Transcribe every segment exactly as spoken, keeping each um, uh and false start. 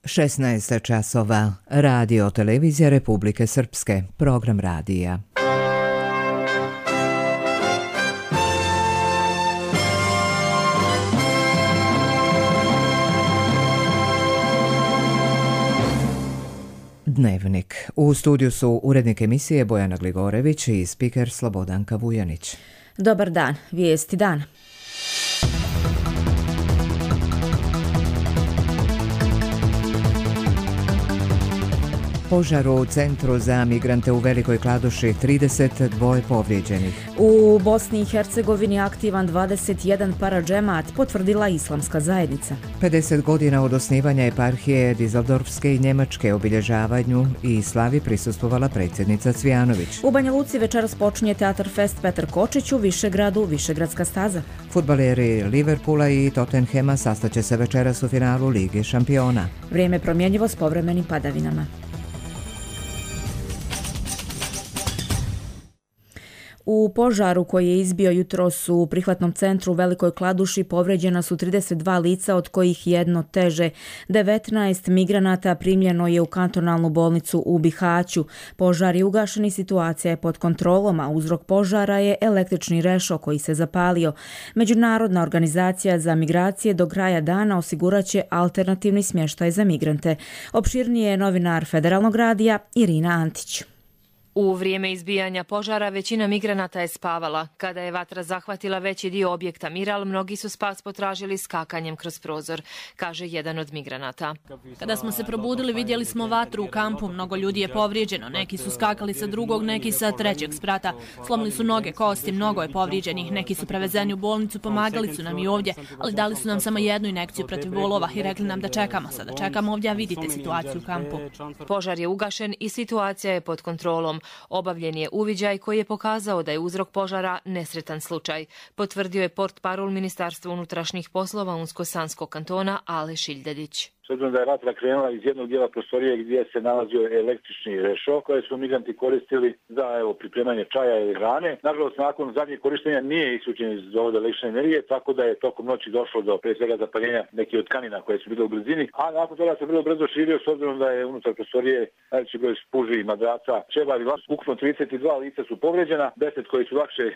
šesnaest časova. Radio televizija Republike Srpske. Program radija. Dnevnik. U studiju su urednik emisije Bojana Gligorević i spiker Slobodanka Vujanić. Dobar dan. Vijesti dana. Požar u centru za migrante u Velikoj Kladuši, trideset dva povrijeđenih. U Bosni i Hercegovini aktivan dvadeset jedan paradžemat, potvrdila Islamska zajednica. pedeset godina od osnivanja eparhije Dizeldorfske i Njemačke, obilježavanju i slavi prisustvovala predsjednica Cvijanović. U Banja Luci večeras počinje Teatar Fest Petar Kočić, u Višegradu Višegradska staza. Fudbaleri Liverpoola i Tottenhema sastaće se večeras u finalu Lige šampiona. Vrijeme promjenjivo s povremenim padavinama. U požaru koji je izbio jutros u prihvatnom centru u Velikoj Kladuši povrijeđena su trideset dva lica, od kojih jedno teže. devetnaest migranata primljeno je u kantonalnu bolnicu u Bihaću. Požar je ugašen i situacija je pod kontrolom, a uzrok požara je električni rešo koji se zapalio. Međunarodna organizacija za migracije do kraja dana osiguraće alternativni smještaj za migrante. Opširnije je novinar Federalnog radija Irina Antić. U vrijeme izbijanja požara većina migranata je spavala. Kada je vatra zahvatila veći dio objekta Miral, mnogi su spas potražili skakanjem kroz prozor, kaže jedan od migranata. Kada smo se probudili, vidjeli smo vatru u kampu, mnogo ljudi je povrijeđeno, neki su skakali sa drugog, neki sa trećeg sprata. Slomili su noge, kosti, mnogo je povrijeđenih, neki su prevezeni u bolnicu, pomagali su nam i ovdje, ali dali su nam samo jednu injekciju protiv bolova i rekli nam da čekamo, sada čekamo ovdje, a vidite situaciju u kampu. Požar je ugašen i situacija je pod kontrolom. Obavljen je uviđaj koji je pokazao da je uzrok požara nesretan slučaj, potvrdio je portparol Ministarstva unutrašnjih poslova Unsko-Sanskog kantona Ale Šiljdedić. S obzirom da je vatra krenula iz jednog dijela prostorije gdje se nalazio električni rešo koje su migranti koristili za evo, pripremanje čaja ili hrane. Nažalost, nakon zadnjeg korištenja nije isključen iz dovoda električne energije, tako da je tokom noći došlo do pre svega zapaljenja nekih od tkanina koje su bile u blizini, a nakon toga se vrlo brzo širio s obzirom da je unutar prostorije najveći broj spuži, madraca, čevari. Ukupno trideset dva lica su povrijeđena, deset koji su lakše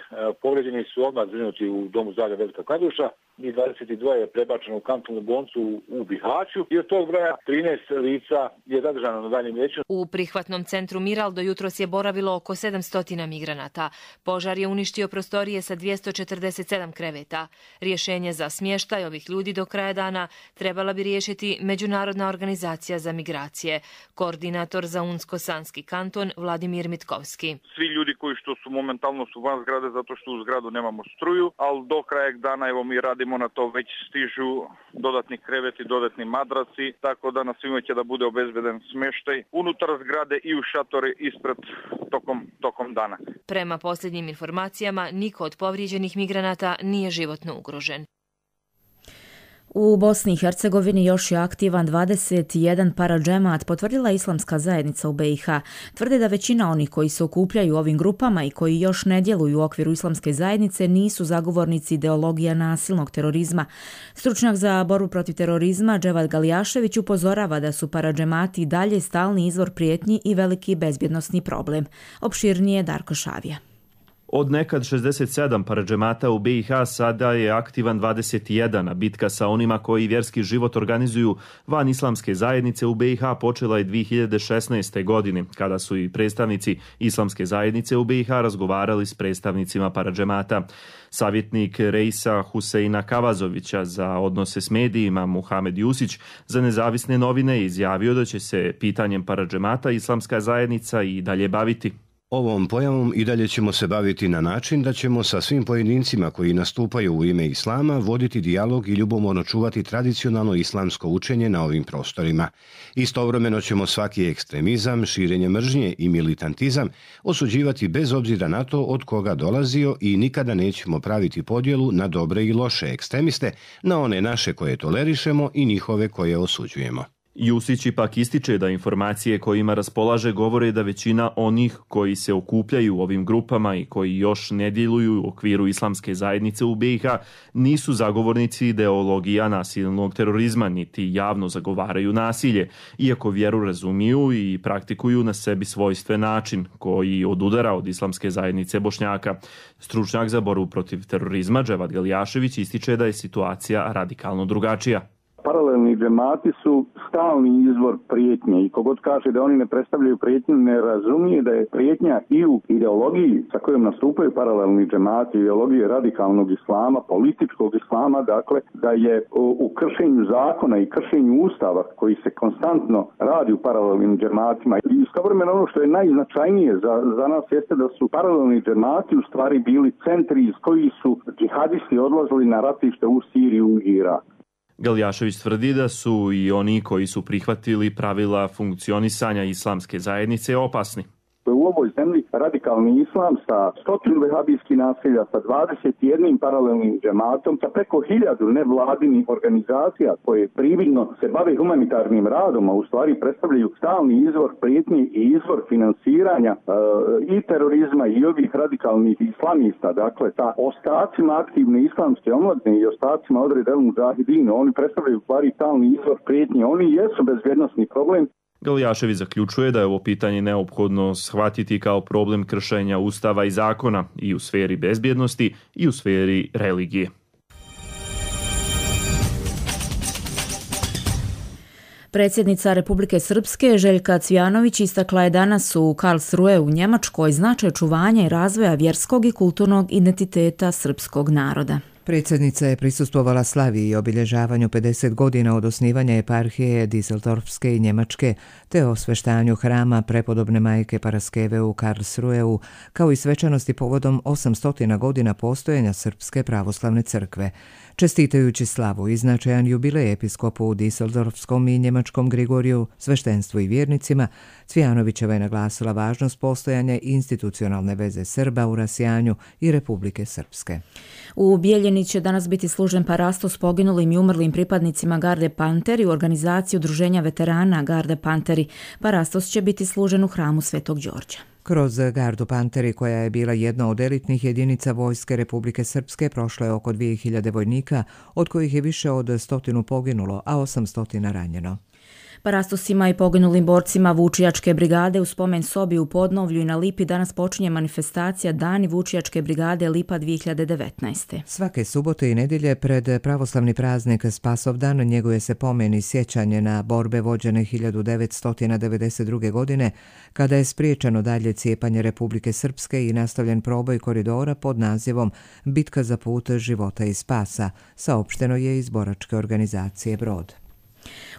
povrijeđeni su odmah zbrinuti u domu zdravlja Velika Kladuša i dvadeset dva je prebačeno u kantonalnu bolnicu u Bihaću. Od tog broja trinaest lica je zadržano na daljem liječenju. U prihvatnom centru Miral do jutros je boravilo oko sedamsto migranata. Požar je uništio prostorije sa dvjesto četrdeset sedam kreveta. Rješenje za smještaj ovih ljudi do kraja dana trebala bi riješiti Međunarodna organizacija za migracije. Koordinator za Unsko-Sanski kanton Vladimir Mitkovski. Svi ljudi koji što su momentalno su van zgrade zato što u zgradu nemamo struju, ali do kraja dana evo mi radimo na to, već stižu dodatni kreveti, dodatni madrac, tako da na svima će da bude obezbeden smještaj unutar zgrade i u šatore ispred tokom, tokom dana. Prema posljednjim informacijama, niko od povrijeđenih migranata nije životno ugrožen. U Bosni i Hercegovini još je aktivan dvadeset jedan paradžemat, potvrdila Islamska zajednica u B i H. Tvrde da većina onih koji se okupljaju u ovim grupama i koji još ne djeluju u okviru Islamske zajednice nisu zagovornici ideologija nasilnog terorizma. Stručnjak za borbu protiv terorizma Dževad Galijašević upozorava da su paradžemati dalje stalni izvor prijetnji i veliki bezbjednosni problem. Opširnije Darko Šavija. Od nekad šezdeset sedam paradžemata u B i H sada je aktivan dvadeset jedan, a bitka sa onima koji vjerski život organizuju van Islamske zajednice u B i H počela je dvije hiljade šesnaeste. godine, kada su i predstavnici Islamske zajednice u B i H razgovarali s predstavnicima paradžemata. Savjetnik Reisa Huseina Kavazovića za odnose s medijima Muhamed Jusić za nezavisne novine izjavio da će se pitanjem paradžemata Islamska zajednica i dalje baviti. Ovom pojavom i dalje ćemo se baviti na način da ćemo sa svim pojedincima koji nastupaju u ime islama voditi dijalog i ljubomorno čuvati tradicionalno islamsko učenje na ovim prostorima. Istovremeno ćemo svaki ekstremizam, širenje mržnje i militantizam osuđivati bez obzira na to od koga dolazio i nikada nećemo praviti podjelu na dobre i loše ekstremiste, na one naše koje tolerišemo i njihove koje osuđujemo. Jusić ipak ističe da informacije kojima raspolaže govore da većina onih koji se okupljaju u ovim grupama i koji još ne djeluju u okviru islamske zajednice u B i H nisu zagovornici ideologija nasilnog terorizma niti javno zagovaraju nasilje, iako vjeru razumiju i praktikuju na sebi svojstven način koji odudara od islamske zajednice Bošnjaka. Stručnjak za borbu protiv terorizma Dževad Galjašević ističe da je situacija radikalno drugačija. Paralelni džemati su stalni izvor prijetnje i kogod kaže da oni ne predstavljaju prijetnju ne razumije da je prijetnja i u ideologiji sa kojom nastupaju paralelni džemati, ideologije radikalnog islama, političkog islama, dakle da je u kršenju zakona i kršenju ustava koji se konstantno radi u paralelnim džematima. I istovremeno ono što je najznačajnije za, za nas jeste da su paralelni džemati u stvari bili centri iz koji su džihadisti odlazili na ratište u Siriju i Irak. Galjašević tvrdi da su i oni koji su prihvatili pravila funkcionisanja islamske zajednice opasni. U ovoj zemlji radikalni islam sa stotinu vehabijskih naselja, sa dvadeset jedan paralelnim džematom, sa preko hiljadu nevladinih organizacija koje prividno se bave humanitarnim radom, a u stvari predstavljaju stalni izvor prijetnje i izvor finansiranja e, i terorizma i ovih radikalnih islamista. Dakle, sa ostacima aktivne islamske omladine i ostacima Odred el Mudžahidin, oni predstavljaju u stvari stalni izvor prijetnje. Oni jesu bezbjednosni problem. Galjašević zaključuje da je ovo pitanje neophodno shvatiti kao problem kršenja ustava i zakona i u sferi bezbjednosti i u sferi religije. Predsjednica Republike Srpske Željka Cvijanović istakla je danas u Karlsruhe u Njemačkoj značaj čuvanja i razvoja vjerskog i kulturnog identiteta srpskog naroda. Predsjednica je prisustvovala slavi i obilježavanju pedeset godina od osnivanja eparhije Düsseldorfske i Njemačke te osveštanju hrama prepodobne majke Paraskeve u Karlsruheu, kao i svečanosti povodom osamsto godina postojanja Srpske pravoslavne crkve. Čestitajući slavu i značajan jubilej episkopu u Düsseldorfskom i njemačkom Grigoriju, sveštenstvu i vjernicima, Cvijanovićeva je naglasila važnost postojanja institucionalne veze Srba u rasijanju i Republike Srpske. U Bijeljini će danas biti služen parastos poginulim i umrlim pripadnicima Garde Panteri u organizaciji Udruženja veterana Garde Panteri. Parastos će biti služen u hramu Svetog Đorđa. Kroz Gardu Panteri, koja je bila jedna od elitnih jedinica vojske Republike Srpske, prošlo je oko dvije hiljade vojnika, od kojih je više od stotinu poginulo, a osamsto ranjeno. Parastosima i poginulim borcima Vučijačke brigade u spomen sobi u Podnovlju i na Lipi danas počinje manifestacija Dani Vučijačke brigade Lipa dvije hiljade devetnaeste. Svake subote i nedjelje pred pravoslavni praznik Spasovdan njeguje se pomen i sjećanje na borbe vođene hiljadu devetsto devedeset druge. godine, kada je spriječeno dalje cijepanje Republike Srpske i nastavljen proboj koridora pod nazivom Bitka za put života i spasa, saopšteno je iz boračke organizacije Brod.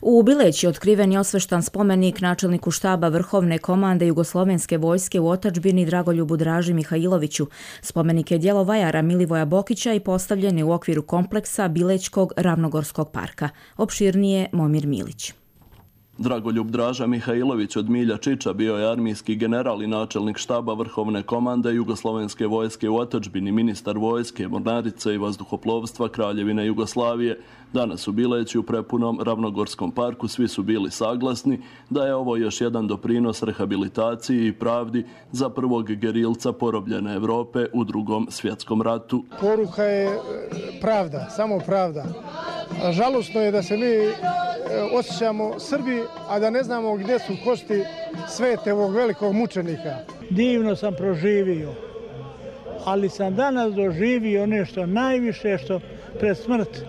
U Bileći otkriven je osveštan spomenik načelniku štaba Vrhovne komande Jugoslovenske vojske u otadžbini Dragoljubu Draži Mihajloviću. Spomenik je djelo vajara Milivoja Bokića i postavljen je u okviru kompleksa Bilećkog Ravnogorskog parka. Opširnije Momir Milić. Dragoljub Draža Mihajlović od Milja Čiča bio je armijski general i načelnik štaba Vrhovne komande Jugoslovenske vojske u otadžbini, ministar vojske, mornarice i vazduhoplovstva Kraljevine Jugoslavije. Danas u Bileći u prepunom Ravnogorskom parku svi su bili saglasni da je ovo još jedan doprinos rehabilitaciji i pravdi za prvog gerilca porobljene Evrope u drugom svjetskom ratu. Poruka je pravda, samo pravda. Žalosno je da se mi osjećamo Srbi, a da ne znamo gdje su kosti svete ovog velikog mučenika. Divno sam proživio, ali sam danas doživio nešto najviše što pred smrt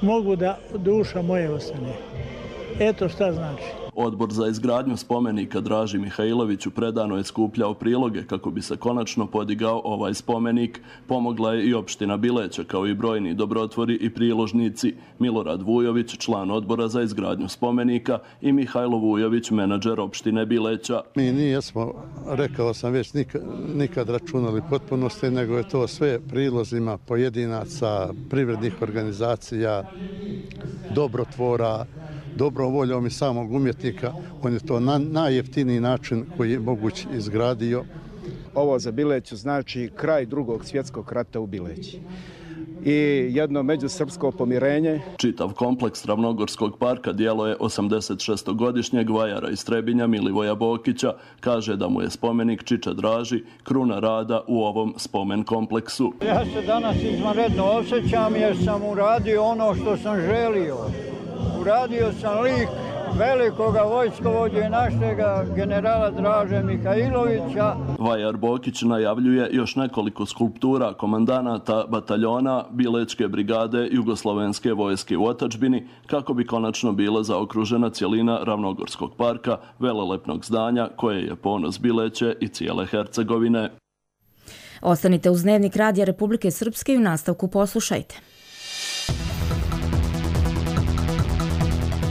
mogu da duša moje ostane. Eto šta znači. Odbor za izgradnju spomenika Draži Mihajloviću predano je skupljao priloge kako bi se konačno podigao ovaj spomenik. Pomogla je i opština Bileća, kao i brojni dobrotvori i priložnici. Milorad Vujović, član odbora za izgradnju spomenika, i Mihajlo Vujović, menadžer opštine Bileća. Mi nijesmo, rekao sam već, nikad, nikad računali potpunosti, nego je to sve prilozima pojedinaca, privrednih organizacija, dobrotvora, dobrom voljom i samog umjetnika. On je to na, najjeftiniji način koji je moguć izgradio. Ovo za Bileću znači kraj drugog svjetskog rata u Bileći. i jedno međusrpsko pomirenje. Čitav kompleks Ravnogorskog parka djelo je osamdesetšestogodišnjeg vajara iz Trebinja Milivoja Bokića. Kaže da mu je spomenik Čiče Draži kruna rada u ovom spomen kompleksu. Ja se danas izvanredno osjećam jer sam uradio ono što sam želio. Uradio sam lik velikoga vojskovođe našega generala Draže Mihajlovića. Vajar Bokić najavljuje još nekoliko skulptura komandanata bataljona Bilečke brigade Jugoslovenske vojske u otadžbini kako bi konačno bila zaokružena cjelina Ravnogorskog parka, velelepnog zdanja koje je ponos Bileće i cijele Hercegovine. Ostanite uz Dnevnik Radija Republike Srpske i u nastavku poslušajte.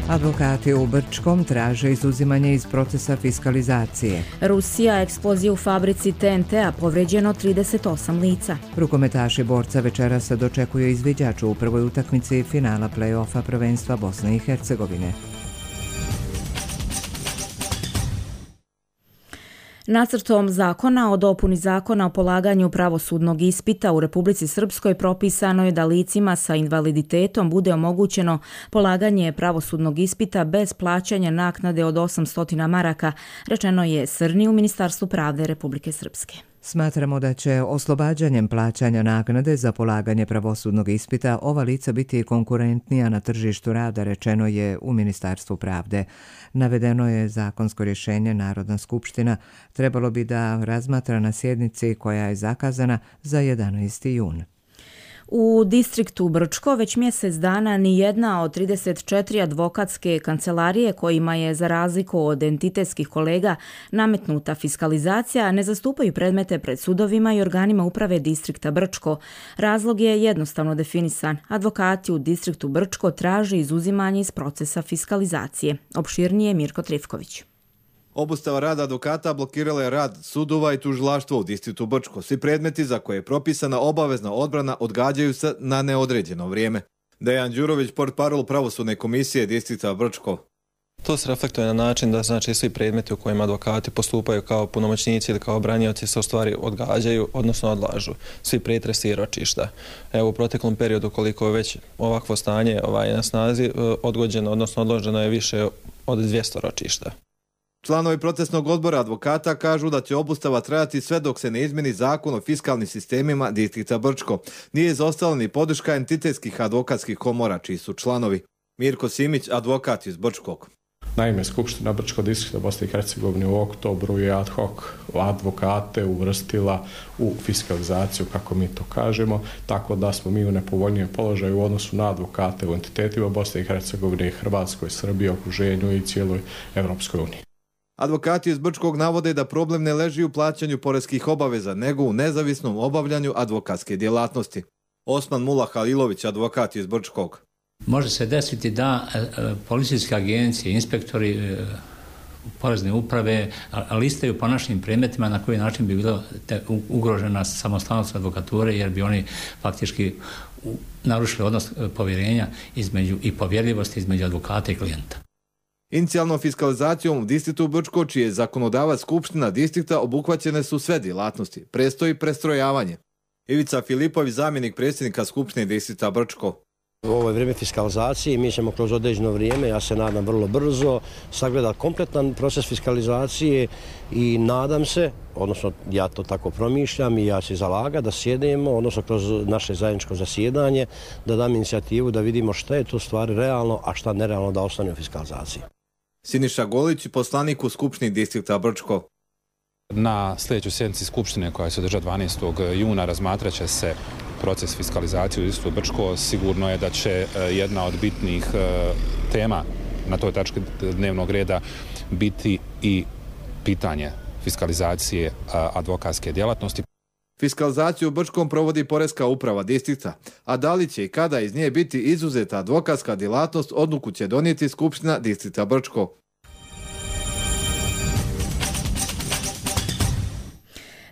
Advokati u Brčkom traže izuzimanje iz procesa fiskalizacije. Rusija, eksplozija u fabrici T N T-a, povređeno trideset osam lica. Rukometaši Borca večeras se dočekuju izviđaču u prvoj utakmici finala play-offa prvenstva Bosne i Hercegovine. Nacrtom zakona o dopuni zakona o polaganju pravosudnog ispita u Republici Srpskoj propisano je da licima sa invaliditetom bude omogućeno polaganje pravosudnog ispita bez plaćanja naknade od osamsto maraka, rečeno je Srni u Ministarstvu pravde Republike Srpske. Smatramo da će oslobađanjem plaćanja naknade za polaganje pravosudnog ispita ova lica biti konkurentnija na tržištu rada, rečeno je u Ministarstvu pravde. Navedeno je zakonsko rješenje Narodna skupština trebalo bi da razmatra na sjednici koja je zakazana za jedanaesti jun. U distriktu Brčko već mjesec dana ni jedna od trideset četiri advokatske kancelarije kojima je za razliku od entitetskih kolega nametnuta fiskalizacija ne zastupaju predmete pred sudovima i organima uprave distrikta Brčko. Razlog je jednostavno definisan. Advokati u distriktu Brčko traže izuzimanje iz procesa fiskalizacije. Opširnije Mirko Trifković. Obustava rada advokata blokirala je rad sudova i tužilaštva u distriktu Brčko. Svi predmeti za koje je propisana obavezna odbrana odgađaju se na neodređeno vrijeme. Dejan Đurović, portparol pravosudne komisije distrikta Brčko. To se reflektuje na način da znači svi predmeti u kojima advokati postupaju kao punomoćnici ili kao branioci se u stvari odgađaju, odnosno odlažu. Svi pretresi i ročišta. Evo u proteklom periodu koliko je već ovakvo stanje ovaj, na snazi odgođeno, odnosno odloženo je više od dvjesto ročišta. Članovi procesnog odbora advokata kažu da će obustava trajati sve dok se ne izmeni zakon o fiskalnim sistemima distrikta Brčko. Nije izostala ni podrška entitetskih advokatskih komora, čiji su članovi. Mirko Simić, advokat iz Brčkog. Naime, Skupština Brčko distrikta Bosne i Hercegovine u oktobru je ad hoc advokate uvrstila u fiskalizaciju, kako mi to kažemo, tako da smo mi u nepovoljnijem položaju u odnosu na advokate u entitetima Bosne i Hercegovine, Hrvatskoj, Srbiji, okruženju i cijeloj Evropskoj uniji. Advokati iz Brčkog navode da problem ne leži u plaćanju poreskih obaveza, nego u nezavisnom obavljanju advokatske djelatnosti. Osman Mula Halilović, advokat iz Brčkog. Može se desiti da policijske agencije, inspektori, porezne uprave listaju po našim predmetima na koji način bi bila ugrožena samostalnost advokature, jer bi oni faktički narušili odnos povjerenja između i povjerljivosti između advokata i klijenta. Inicijalnom fiskalizacijom u distriktu Brčko, čiji je zakonodavac Skupština distrikta, obuhvaćene su sve djelatnosti. Prestoji prestrojavanje. Ivica Filipović, zamjenik predsjednika Skupštine distrikta Brčko. U ovo je vrijeme fiskalizacije, mi ćemo kroz određeno vrijeme, ja se nadam vrlo brzo, sagledati kompletan proces fiskalizacije i nadam se, odnosno ja to tako promišljam i ja se zalagam da sjedemo, odnosno kroz naše zajedničko zasjedanje, da dam inicijativu da vidimo šta je to stvari realno, a šta nerealno da ostane u fiskalizaciji. Siniša Golić, poslanik u Skupštini distrikta Brčko. Na sljedećoj sjednici Skupštine koja se održa dvanaestog juna razmatrat će se proces fiskalizacije u distriktu Brčko. Sigurno je da će jedna od bitnih tema na toj tački dnevnog reda biti i pitanje fiskalizacije advokatske djelatnosti. Fiskalizaciju u Brčkom provodi Poreska uprava distrikta, a da li će i kada iz nje biti izuzeta advokatska djelatnost, odluku će donijeti Skupština distrikta Brčko.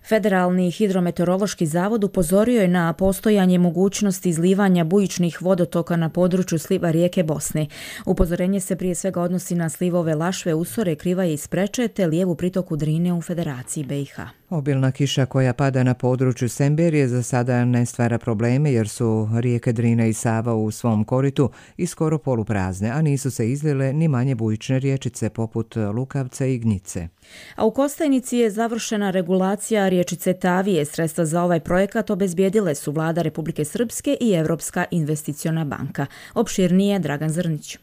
Federalni hidrometeorološki zavod upozorio je na postojanje mogućnosti izlivanja bujičnih vodotoka na području sliva rijeke Bosne. Upozorenje se prije svega odnosi na slivove Lašve, Usore, Krivaje i Spreče te lijevu pritoku Drine u Federaciji B i H. Obilna kiša koja pada na području Semberije za sada ne stvara probleme jer su rijeke Drina i Sava u svom koritu i skoro poluprazne, a nisu se izlile ni manje bujične riječice poput Lukavca i Gnjice. A u Kostajnici je završena regulacija riječice Tavije. Sredstva za ovaj projekat obezbijedile su Vlada Republike Srpske i Evropska investiciona banka. Opširnije Dragan Zrnić.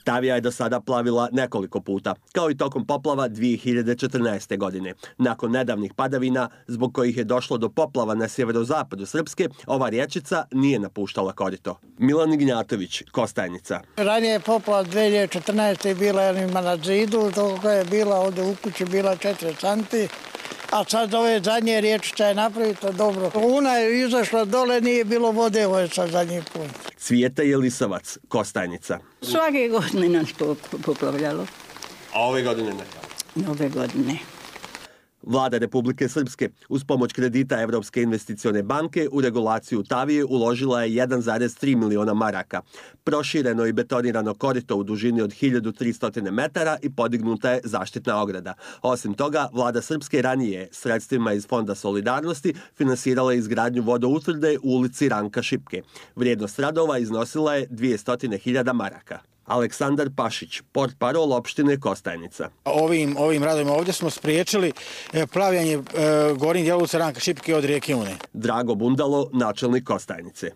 Tavija je do sada plavila nekoliko puta, kao i tokom poplava dvije hiljade četrnaeste. godine. Nakon nedavnih padavina, zbog kojih je došlo do poplava na sjeverozapadu Srpske, ova riječica nije napuštala korito. Milan Ignjatović, Kostajnica. Ranije je poplava dvije hiljade četrnaeste. bila jednima na zidu, toga je bila ovdje u kući bila četiri santi. A sad ove zadnje riječica je napravito dobro. Una je izašla dole, nije bilo vode, ovo je sad zadnji put. Cvijeta Jelisavac, Kostajnica. Svake godine nas to poplavljalo. A ove godine ne? Ove godine. Vlada Republike Srpske uz pomoć kredita Evropske investicione banke u regulaciju Tavije uložila je jedan zarez tri miliona maraka. Prošireno i betonirano korito u dužini od hiljadu tristo metara i podignuta je zaštitna ograda. Osim toga, Vlada Srpske ranije sredstvima iz Fonda solidarnosti finansirala izgradnju vodoutvrde u ulici Ranka Šipke. Vrijednost radova iznosila je dvjesto hiljada maraka. Aleksandar Pašić, portparol opštine Kostajnica. Ovim, ovim radovima ovdje smo spriječili plavljanje e, gornjih dijela Ranka Šipke od rijeke Une. Drago Bundalo, načelnik Kostajnice.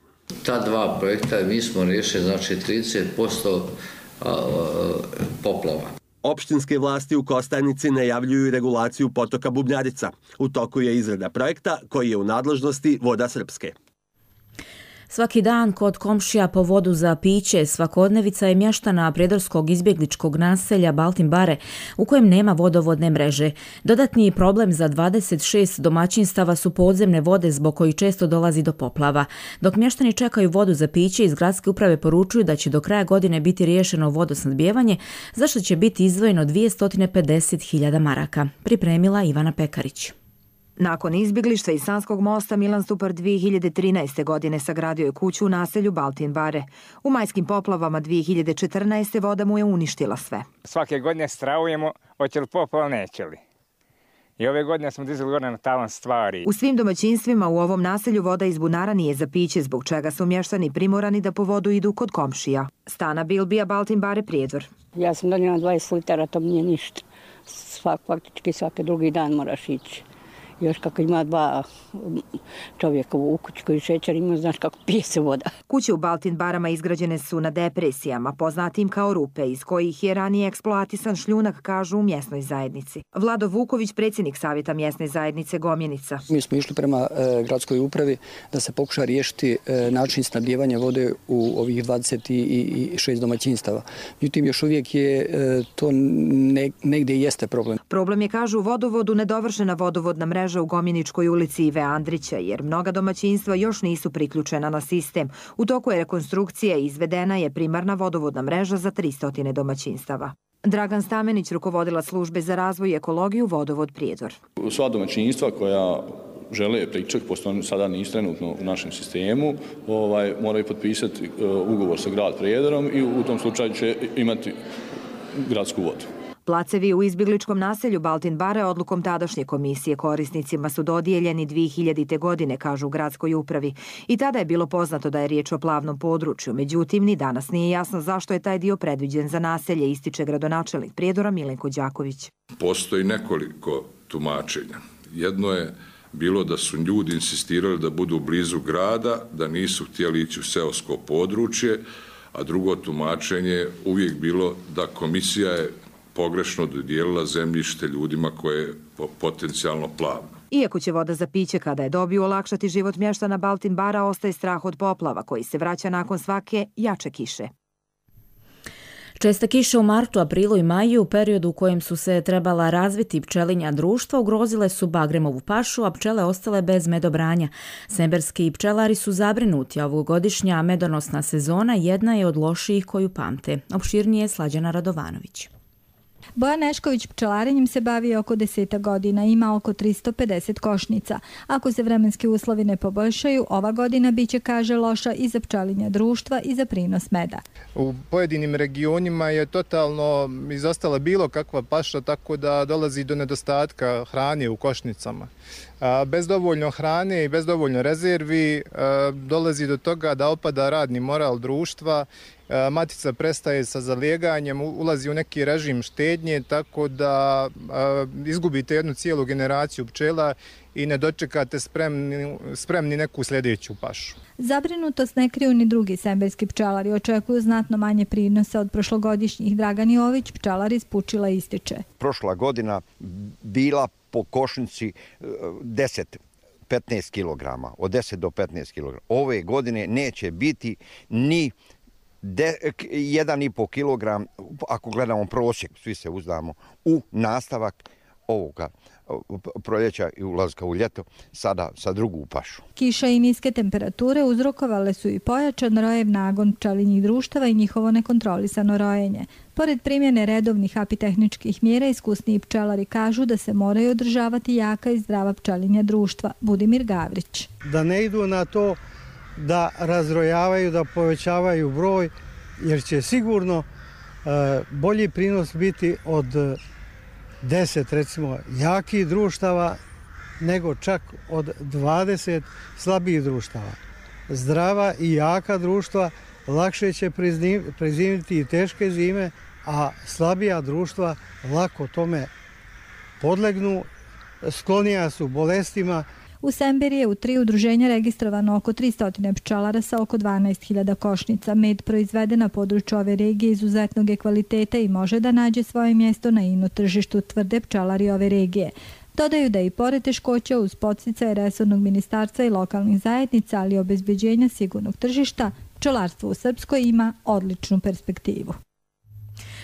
Ta dva projekta mi smo riješili znači trideset posto poplava. Opštinske vlasti u Kostajnici najavljuju regulaciju potoka Bubnjarica. U toku je izrada projekta koji je u nadležnosti Voda Srpske. Svaki dan kod komšija po vodu za piće svakodnevica je mještana prijedorskog izbjegličkog naselja Baltin Bare u kojem nema vodovodne mreže. Dodatni problem za dvadeset šest domaćinstava su podzemne vode zbog kojih često dolazi do poplava. Dok mještani čekaju vodu za piće, iz gradske uprave poručuju da će do kraja godine biti riješeno vodosnadbijevanje, za što će biti izdvojeno dvjesto pedeset hiljada maraka. Pripremila Ivana Pekarić. Nakon izbjeglištva iz Sanskog mosta, Milan Stupar dvije hiljade trinaeste. godine sagradio je kuću u naselju Baltin Bare. U majskim poplavama dvije hiljade četrnaeste. voda mu je uništila sve. Svake godine stravujemo, hoće li poplava, neće li. I ove godine smo dizali gore na tavan stvari. U svim domaćinstvima u ovom naselju voda iz bunara nije za piće, zbog čega su mještani primorani da po vodu idu kod komšija. Stana Bilbija, Baltin Bare, Prijedor. Ja sam donijela dvadeset litara, to mi nije ništa. Svak, faktički svaki drugi dan moraš ići. Još kako ima dva čovjeka u kući koji šećer ima, znaš kako pije se voda. Kuće u Baltin Barama izgrađene su na depresijama, poznatim kao rupe, iz kojih je ranije eksploatisan šljunak, kažu u mjesnoj zajednici. Vlado Vuković, predsjednik savjeta mjesne zajednice Gomjenica. Mi smo išli prema e, gradskoj upravi da se pokuša riješiti e, način snabdijevanja vode u ovih dvadeset šest domaćinstava. Međutim, još uvijek je e, to ne, negdje jeste problem. Problem je, kažu, u vodovodu nedovršena vodovodna mreža u Gomjeničkoj ulici Ive Andrića, jer mnoga domaćinstva još nisu priključena na sistem. U toku je rekonstrukcija i izvedena je primarna vodovodna mreža za tristo domaćinstava. Dragan Stamenić, rukovodilac službe za razvoj i ekologiju Vodovod Prijedor. Sva domaćinstva koja žele priključak, pošto oni sada nisu trenutno u našem sistemu, ovaj, moraju potpisati uh, ugovor sa grad Prijedorom i u tom slučaju će imati gradsku vodu. Placevi u izbjegličkom naselju Baltin Bare odlukom tadašnje komisije korisnicima su dodijeljeni dvije hiljadite. godine, kažu u gradskoj upravi. I tada je bilo poznato da je riječ o plavnom području. Međutim, ni danas nije jasno zašto je taj dio predviđen za naselje, ističe gradonačelnik Prijedora Milenko Đaković. Postoji nekoliko tumačenja. Jedno je bilo da su ljudi insistirali da budu blizu grada, da nisu htjeli ići u seosko područje, a drugo tumačenje je uvijek bilo da komisija je pogrešno dodijelila zemljište ljudima koje je potencijalno plavno. Iako će voda za piće kada je dobiju olakšati život mještana Baltin Bara, ostaje strah od poplava koji se vraća nakon svake jače kiše. Česte kiše u martu, aprilu i maju, u periodu u kojem su se trebala razviti pčelinja društva, ugrozile su bagremovu pašu, a pčele ostale bez medobranja. Semberski pčelari su zabrinuti, a ovogodišnja medonosna sezona jedna je od lošijih koju pamte. Opširnije Slađana Radovanović. Bojan Nešković pčelarenjem se bavi oko deseta godina, ima oko tristo pedeset košnica. Ako se vremenski uslovi ne poboljšaju, ova godina biće, kaže, loša i za pčelinja društva i za prinos meda. U pojedinim regionima je totalno izostala bilo kakva paša, tako da dolazi do nedostatka hrane u košnicama. Bez dovoljno hrane i bez dovoljno rezervi dolazi do toga da opada radni moral društva, matica prestaje sa zalijeganjem, ulazi u neki režim štednje, tako da izgubite jednu cijelu generaciju pčela i ne dočekate spremni, spremni neku sljedeću pašu. Zabrinutost ne kriju ni drugi semberski pčelari, očekuju znatno manje prinosa od prošlogodišnjih. Dragan Jović, pčelar iz Pučila, ističe. Prošla godina bila po košnici deset do petnaest kilograma, od deset do petnaest kilograma. Ove godine neće biti ni jedan i po kilogram, ako gledamo prosjek, svi se uzdamo, u nastavak ovoga proljeća i ulazka u ljeto, sada sa drugu pašu. Kiša i niske temperature uzrokovale su i pojačan rojev nagon pčelinjih društava i njihovo nekontrolisano rojenje. Pored primjene redovnih apitehničkih mjera, iskusniji pčelari kažu da se moraju održavati jaka i zdrava pčelinja društva. Budimir Gavrić. Da ne idu na to da razrojavaju, da povećavaju broj, jer će sigurno e, bolji prinos biti od deset, recimo, jakih društava, nego čak od dvadeset slabijih društava. Zdrava i jaka društva lakše će prezimiti i teške zime, a slabija društva lako tome podlegnu, sklonija su bolestima. U Semberi je u tri udruženja registrovano oko tristo pčelara sa oko dvanaest hiljada košnica. Med proizveden na području ove regije izuzetnog je kvaliteta i može da nađe svoje mjesto na ino tržištu, tvrde pčelari ove regije. Dodaju da i pored teškoća uz podsticaje resornog ministarstva i lokalnih zajednica, ali i obezbeđenja sigurnog tržišta, pčelarstvo u Srpskoj ima odličnu perspektivu.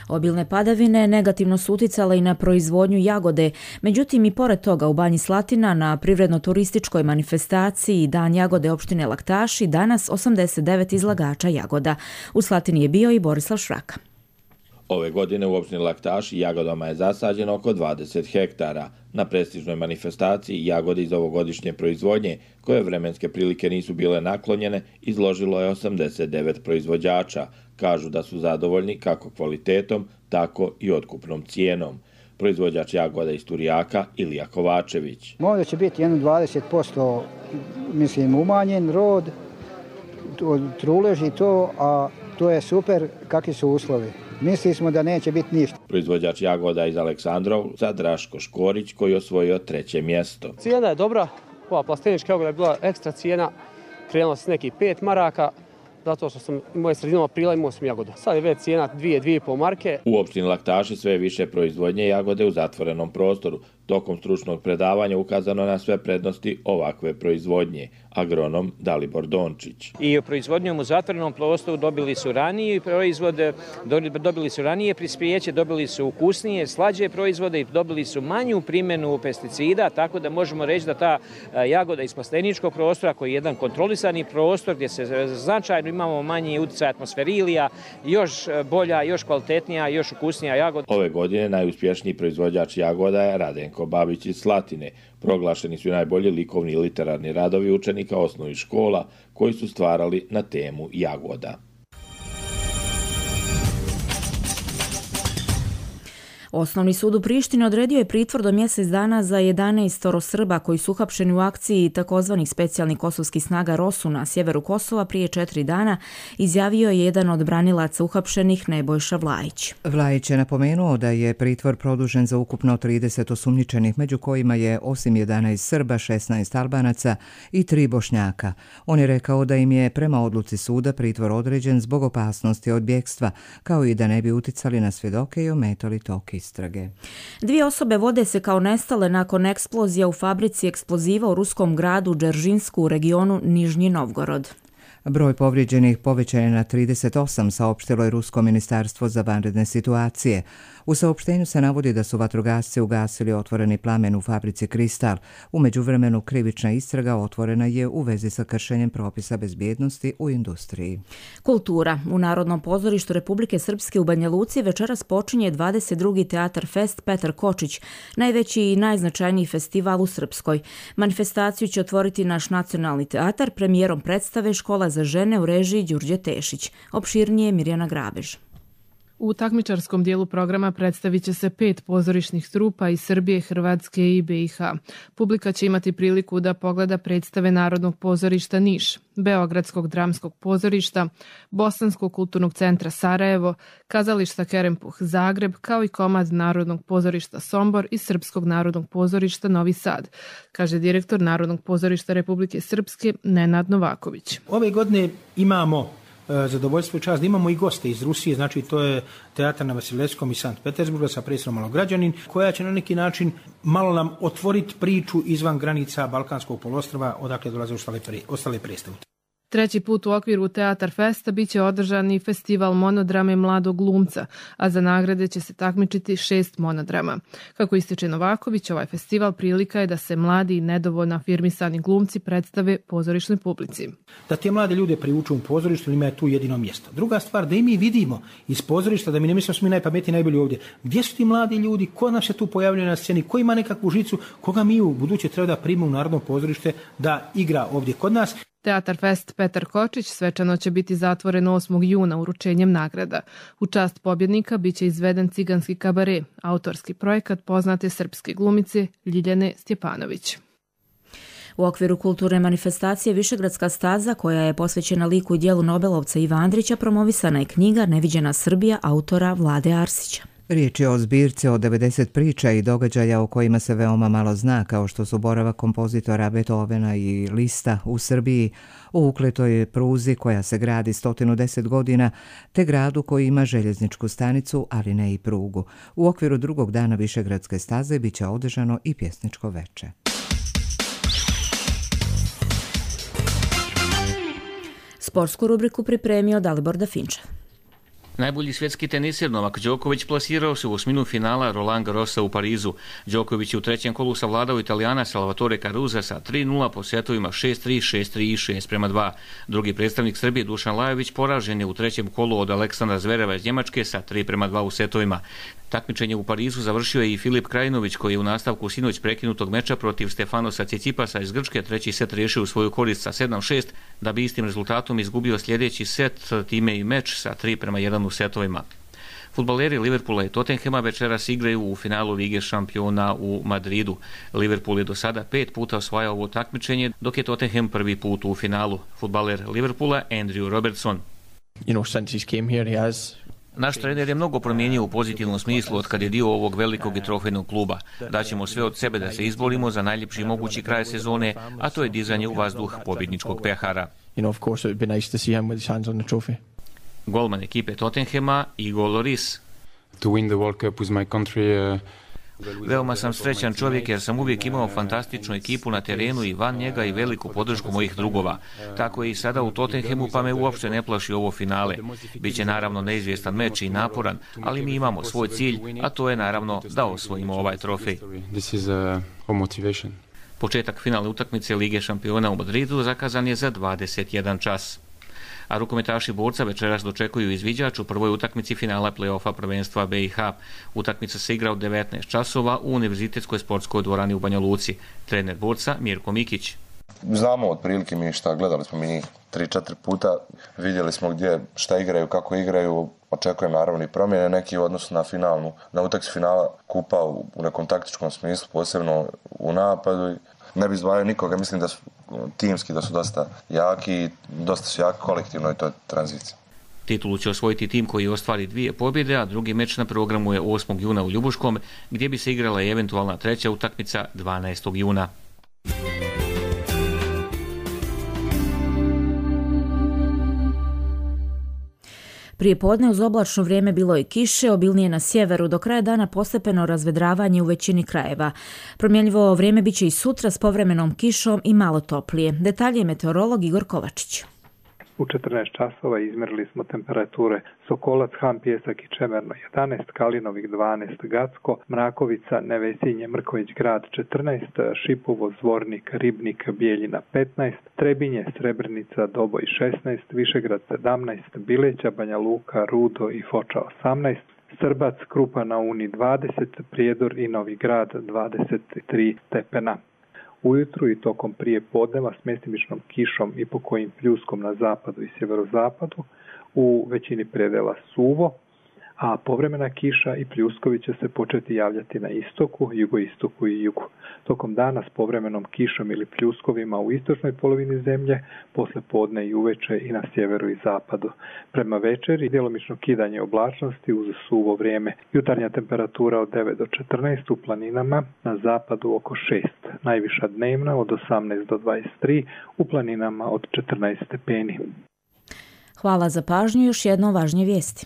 Obilne padavine negativno su uticale i na proizvodnju jagode, međutim i pored toga u Banji Slatina na privredno-turističkoj manifestaciji Dan jagode opštine Laktaši danas osamdeset devet izlagača jagoda. U Slatini je bio i Borislav Šraka. Ove godine u opštini Laktaši jagodama je zasađeno oko dvadeset hektara. Na prestižnoj manifestaciji jagode iz ovogodišnje proizvodnje, koje vremenske prilike nisu bile naklonjene, izložilo je osamdeset devet proizvođača. Kažu da su zadovoljni kako kvalitetom, tako i otkupnom cijenom. Proizvođač jagoda iz Turijaka Ilija Kovačević. Možda će biti jedno dvadeset posto mislim umanjen rod, truleži to, a to je super kakvi su uslovi. Mislili smo da neće biti ništa. Proizvođač jagoda iz Aleksandrovca Draško Škorić koji je osvojio treće mjesto. Cijena je dobra, ova plastenička jagoda je bila ekstra cijena, krenula s nekih pet maraka, zato što sam moje sredinom aprila imao sam jagodu. Sad je već cijena dvije, dvije i pol marke. U opštini Laktaši sve više proizvodnje jagode u zatvorenom prostoru. Tokom stručnog predavanja ukazano na sve prednosti ovakve proizvodnje. Agronom Dalibor Dončić. I proizvodnjom u zatvorenom prostoru dobili su ranije proizvode, dobili su ranije prispijeće, dobili su ukusnije, slađe proizvode i dobili su manju primjenu pesticida, tako da možemo reći da ta jagoda iz plasteničkog prostora, koji je jedan kontrolisani prostor gdje se značajno imamo manji utjecaj atmosferilija, još bolja, još kvalitetnija, još ukusnija jagoda. Ove godine najuspješniji proizvođač jagoda je Radenko Babić iz Slatine. Proglašeni su najbolji likovni i literarni radovi učenika osnovnih škola koji su stvarali na temu jagoda. Osnovni sud u Prištini odredio je pritvor do mjesec dana za jedanaest Srba koji su uhapšeni u akciji takozvanih specijalnih kosovskih snaga ROSU na sjeveru Kosova prije četiri dana, izjavio je jedan od branilaca uhapšenih Nebojša Vlajić. Vlajić je napomenuo da je pritvor produžen za ukupno trideset osumnjičenih, među kojima je osim jedanaest Srba, šesnaest Albanaca i tri Bošnjaka. On je rekao da im je prema odluci suda pritvor određen zbog opasnosti od bjekstva, kao i da ne bi uticali na svjedoke i ometali tok istrage. Dvije osobe vode se kao nestale nakon eksplozija u fabrici eksploziva u ruskom gradu Džeržinjsku u regionu Nižnji Novgorod. Broj povrijeđenih povećan je na trideset osam, saopštilo je Rusko ministarstvo za vanredne situacije. U saopštenju se navodi da su vatrogasci ugasili otvoreni plamen u fabrici Kristal. U međuvremenu krivična istraga otvorena je u vezi sa kršenjem propisa bezbjednosti u industriji. Kultura. U Narodnom pozorištu Republike Srpske u Banja Luci večeras počinje dvadeset drugi Teatar Fest Petar Kočić, najveći i najznačajniji festival u Srpskoj. Manifestaciju će otvoriti naš nacionalni teatar premijerom predstave Škola za žene u režiji Đurđe Tešić. Opširnije Mirjana Grabež. U takmičarskom dijelu programa predstavit će se pet pozorišnih trupa iz Srbije, Hrvatske i B i H. Publika će imati priliku da pogleda predstave Narodnog pozorišta Niš, Beogradskog dramskog pozorišta, Bosanskog kulturnog centra Sarajevo, Kazališta Kerempuh Zagreb, kao i komad Narodnog pozorišta Sombor i Srpskog narodnog pozorišta Novi Sad, kaže direktor Narodnog pozorišta Republike Srpske Nenad Novaković. Ove godine imamo zadovoljstvo i čast da imamo i goste iz Rusije, znači to je teatar na Vasilevskom iz Sankt Petersburga sa predstavom Malograđanin, koja će na neki način malo nam otvoriti priču izvan granica Balkanskog poluostrva odakle dolaze ostale, pre, ostale predstave. Treći put u okviru Teatar Festa biće održan i festival monodrame Mladog glumca, a za nagrade će se takmičiti šest monodrama. Kako ističe Novaković, ovaj festival prilika je da se mladi i nedovoljno afirmisani glumci predstave pozorišnoj publici. Da te mlade ljude privuču u pozorištu, ima je tu jedino mjesto. Druga stvar, da i mi vidimo iz pozorišta, da mi ne mislimo smo mi najpametniji, najbolji ovdje. Gdje su ti mladi ljudi, ko nam se tu pojavljaju na sceni, ko ima nekakvu žicu, koga mi u buduće treba da primimo u Narodno pozorište da igra ovdje kod nas. Teatar Fest Petar Kočić svečano će biti zatvoren osmog juna uručenjem nagrada. U čast pobjednika biće izveden ciganski kabare, autorski projekat poznate srpske glumice Ljiljane Stjepanović. U okviru kulturne manifestacije Višegradska staza, koja je posvećena liku i dijelu Nobelovca Iva Andrića, promovisana je knjiga Neviđena Srbija autora Vlade Arsića. Riječ je o zbirci od devedeset priča i događaja o kojima se veoma malo zna, kao što su boravak kompozitora Beethovena i Lista u Srbiji, o ukletoj pruzi koja se gradi sto deset godina, te gradu koji ima željezničku stanicu, ali ne i prugu. U okviru drugog dana Višegradske staze biće održano i pjesničko veče. Sportsku rubriku pripremio Dalibor Dafinčev. Najbolji svjetski tenisir Novak Đoković plasirao se u osminu finala Roland Garrosa u Parizu. Đoković je u trećem kolu savladao Italijana Salvatore Caruza sa tri nula po setovima šest tri, šest tri i šest prema dva. Drugi predstavnik Srbije Dušan Lajović poražen je u trećem kolu od Aleksandra Zvereva iz Njemačke sa tri prema dva u setovima. Takmičenje u Parizu završio je i Filip Krajinović, koji je u nastavku sinoć prekinutog meča protiv Stefanosa Cicipasa iz Grčke treći set riješio u svoju korist sa sedam šest, da bi istim rezultatom izgubio sljedeći set, time i meč sa tri prema jedan u setovima. Fudbaleri Liverpoola i Tottenhema večeras igraju u finalu Lige šampiona u Madridu. Liverpool je do sada pet puta osvajao ovo takmičenje, dok je Tottenham prvi put u finalu. Fudbaler Liverpoola Andrew Robertson. You know, since he came here, he has Naš trener je mnogo promijenio u pozitivnom smislu od kad je dio ovog velikog i trofejnog kluba. Daćemo sve od sebe da se izborimo za najljepši mogući kraj sezone, a to je dizanje u vazduh pobjedničkog pehara. You know, of course, it would be nice to see him with his hands on the trophy. Golman ekipe Tottenhema Igor Lloris. To win the World Cup with my country, uh... Veoma sam srećan čovjek jer sam uvijek imao fantastičnu ekipu na terenu i van njega i veliku podršku mojih drugova. Tako je i sada u Tottenhamu, pa me uopšte ne plaši ovo finale. Biće naravno neizvjestan meč i naporan, ali mi imamo svoj cilj, a to je naravno da osvojimo ovaj trofej. Početak finalne utakmice Lige šampiona u Madridu zakazan je za dvadeset jedan čas. A rukometaši Borca večeras dočekuju izviđač u prvoj utakmici finala play-offa prvenstva B i H. Utakmica se igra od devetnaest časova u Univerzitetskoj sportskoj dvorani u Banja Luci. Trener Borca Mirko Mikić. Znamo otprilike mi šta, gledali smo mi njih tri četiri puta, vidjeli smo gdje šta igraju, kako igraju, očekujem naravno i promjene neki u odnosu na finalnu, na utakmicu finala kupa u, u nekom taktičkom smislu, posebno u napadu. Ne bi izdvajao nikoga, mislim da su timski, da su dosta jaki, dosta su jaki kolektivno i to je tranzicija. Titulu će osvojiti tim koji ostvari dvije pobjede, a drugi meč na programu je osmog juna u Ljubuškom, gdje bi se igrala i eventualna treća utakmica dvanaestog juna. Prije podne uz oblačno vrijeme bilo je kiše, obilnije na sjeveru, do kraja dana postepeno razvedravanje u većini krajeva. Promjenljivo vrijeme biće i sutra s povremenom kišom i malo toplije. Detalje je meteorolog Igor Kovačić. U četrnaest časova izmjerili smo temperature Sokolac, Han, Pijesak i Čemerno jedanaest, Kalinovik dvanaest, Gacko, Mrakovica, Nevesinje, Mrković Grad četrnaest, Šipovo, Zvornik, Ribnik, Bijeljina petnaest, Trebinje, Srebrenica, Doboj šesnaest, Višegrad sedamnaest, Bileća, Banja Luka, Rudo i Foča osamnaest, Srbac, Krupa na Uni dvadeset, Prijedor i Novi Grad dvadeset tri stepena. Ujutru i tokom prije podneva s mjestimičnom kišom i pokojim pljuskom na zapadu i sjeverozapadu, u većini predela suvo, a povremena kiša i pljuskovi će se početi javljati na istoku, jugoistoku i jugu. Tokom dana s povremenom kišom ili pljuskovima u istočnoj polovini zemlje, posle podne i uveče i na sjeveru i zapadu. Prema večeri djelomično kidanje oblačnosti uz suvo vrijeme. Jutarnja temperatura od devet do četrnaest u planinama, na zapadu oko šest. Najviša dnevna od osamnaest do dvadeset tri, u planinama od četrnaest stepeni. Hvala za pažnju, još jedno važnije vijesti.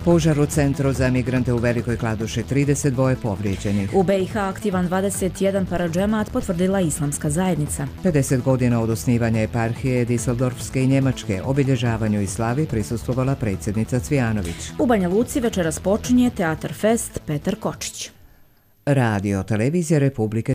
Požar u centru za migrante u Velikoj Kladuši, trideset dva povrijeđenih. U B i H aktivan dvadeset jedan paradžemat, potvrdila Islamska zajednica. pedeset godina od osnivanja eparhije Diseldorfske i Njemačke, obilježavanju i slavi prisustvovala predsjednica Cvijanović. U Banja Luci večeras počinje Teatar Fest Petar Kočić. Radio Televizija Republike